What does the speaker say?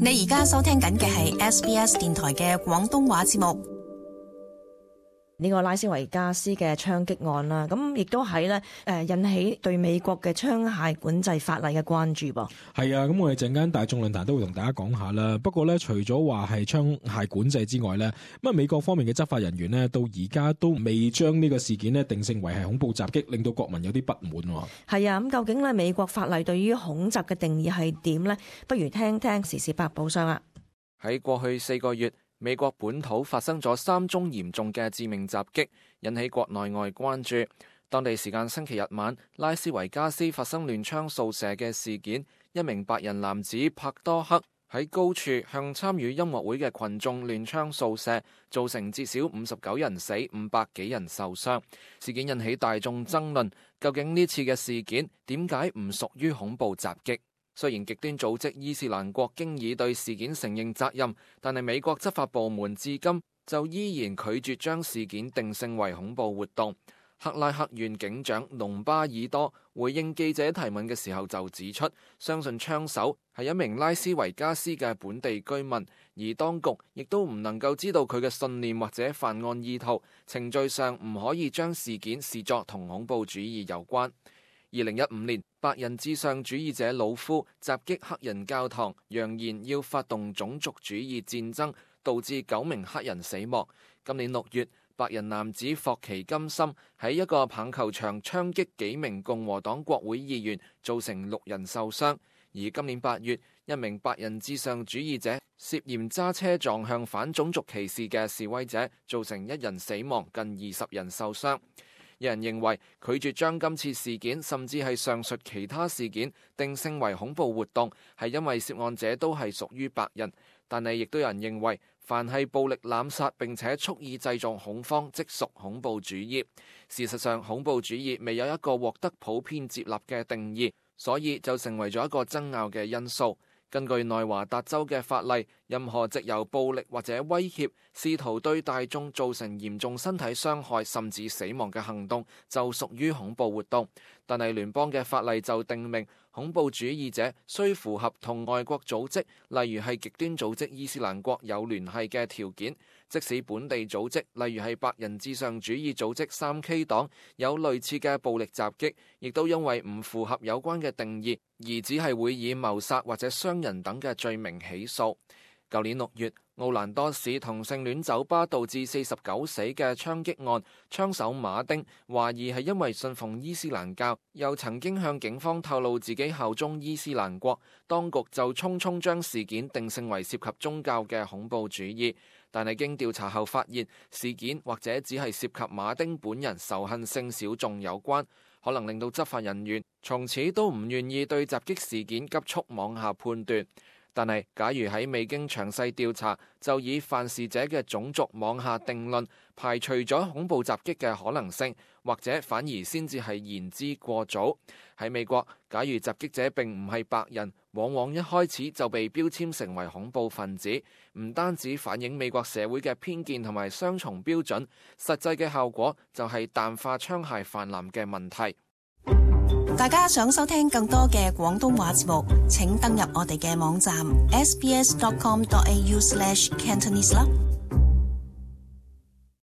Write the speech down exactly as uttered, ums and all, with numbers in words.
你而家收聽緊嘅係 S B S 電台嘅廣東話節目。呢個拉斯維加斯嘅槍擊案啦，咁亦都係咧誒引起對美國嘅槍械管制法例嘅關注噃。係啊，咁我哋陣間大眾論壇都會同大家講下啦。不過咧，除咗話係槍械管制之外咧，咁啊美國方面嘅執法人員呢，到而家都未將呢個事件呢定性為係恐怖襲擊，令到國民有啲不滿。係啊，咁究竟咧美國法例對於恐襲嘅定義係點呢？不如聽聽時事百寶箱啊！喺過去四個月，美國本土發生咗三宗嚴重嘅致命襲擊，引起國內外關注。當地時間星期日晚，拉斯維加斯發生亂槍掃射嘅事件，一名白人男子帕多克喺高處向參與音樂會嘅群眾亂槍掃射，造成至少五十九人死、五百幾人受傷。事件引起大眾爭論，究竟呢次嘅事件點解唔屬於恐怖襲擊？雖然極端組織伊斯蘭國經已對事件承認責任，但係美國執法部門至今就依然拒絕將事件定性為恐怖活動。克拉克縣警長隆巴爾多回應記者提問嘅時候就指出，相信槍手係一名拉斯維加斯嘅本地居民，而當局亦都唔能夠知道佢嘅信念或者犯案意圖，程序上唔可以將事件視作同恐怖主義有關。二零一五年，白人至上主義者魯夫襲擊黑人教堂，揚言要發動種族主義戰爭，導致九名黑人死亡。今年六月，白人男子霍奇金森喺一個棒球場槍擊幾名共和黨國會議員，造成六人受傷。而今年八月，一名白人至上主義者涉嫌揸車撞向反種族歧視嘅示威者，造成一人死亡，近二十人受傷。有人認為拒絕將今次事件甚至係上述其他事件定性為恐怖活動，係因為涉案者都係屬於白人。但係亦都有人認為，凡係暴力濫殺並且蓄意製造恐慌，即屬恐怖主義。事實上，恐怖主義未有一個獲得普遍接納嘅定義，所以就成為咗一個爭拗嘅因素。根據內華達州嘅法例，任何藉由暴力或者威脅試圖對大眾造成嚴重身體傷害甚至死亡嘅行動就屬於恐怖活動。但係聯邦嘅法例就訂明，恐怖主義者需符合同外國組織，例如係極端組織伊斯蘭國有聯繫嘅條件。即使本地組織，例如係白人至上主義組織三 K 黨有類似嘅暴力襲擊，亦都因為唔符合有關嘅定義，而只係會以謀殺或者傷人等嘅罪名起訴。舊年六月，奧蘭多市同性戀酒吧導致四十九死嘅槍擊案，槍手馬丁懷疑係因為信奉伊斯蘭教，又曾經向警方透露自己效忠伊斯蘭國，當局就匆匆將事件定性為涉及宗教嘅恐怖主義。但係經調查後發現，事件或者只係涉及馬丁本人仇恨性小眾有關，可能令到執法人員從此都唔願意對襲擊事件急速妄下判斷。但係，假如喺未經詳細調查就以犯事者嘅種族妄下定論，排除咗恐怖襲擊嘅可能性，或者反而先至係言之過早。喺美國，假如襲擊者並唔係白人，往往一開始就被標籤成為恐怖分子，唔單止反映美國社會嘅偏見同埋雙重標準，實際嘅效果就係淡化槍械泛濫嘅問題。大家想收聽更多嘅廣東話節目，請登入我哋嘅網站 s b s dot com dot a u slash cantonese 啦。